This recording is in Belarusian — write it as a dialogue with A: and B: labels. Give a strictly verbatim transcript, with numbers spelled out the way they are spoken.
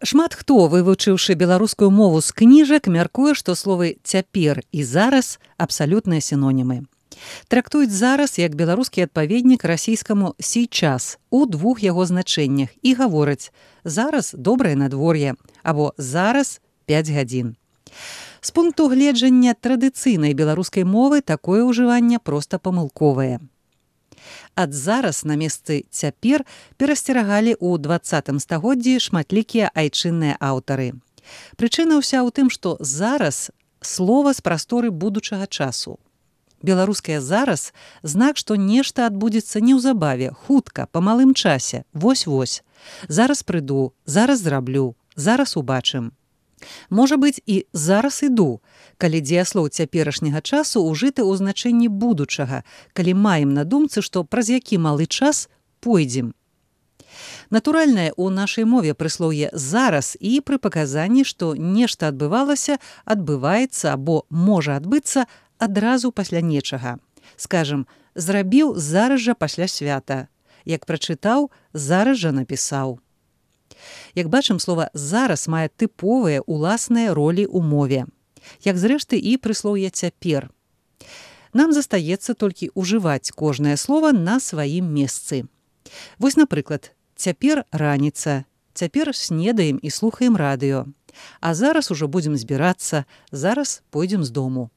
A: Шмат хто, вывучыўшы беларускую мову з кніжак, мяркуе, што словы «цяпер» і «зараз» абсалютныя сінонімы. Трактуюць «зараз» як беларускі адпаведнік расійскаму «сейчас» у двух яго значэннях і гавораць «зараз добрае надвор'е» або «зараз пяць гадзін». З пункту гледжання традыцыйнай беларускай мовы такое ўжыванне проста памылковае. Ад «зараз» на месцы «цяпер» перасцерагалі ў дваццатым стагоддзі шматлікія айчынныя аўтары. Прычына ўся ў тым, што «зараз» слова з прасторы будучага часу. Беларускае «зараз» знак, што нешта адбудзецца неўзабаве, хутка, па малым часе, вось-вось. Зараз прыйду, зараз зраблю, зараз убачым. Можа быць і «зараз іду», калі дзеяслоў цяперашняга часу ўжыты ў значэнні будучага, калі маем на думцы, што праз які малы час пойдзем. Натуральнае ў нашай мове прыслоўе «зараз» і пры паказанні, што нешта адбывалася, адбываецца або можа адбыцца адразу пасля нечага. Скажам, зрабіў зараз жа пасля свята. Як прачытаў, зараз жа напісаў. Як бачым, слова «зараз» мае тыповыя уласныя ролі ў мове. Як зрэшты і прыслоўе «цяпер». Нам застаецца толькі ўжываць кожнае слова на сваім месцы. Вось, напрыклад, цяпер раніца, цяпер снедаем і слухаем радыё. А зараз ужо будзем збірацца, зараз пойдзем з дому.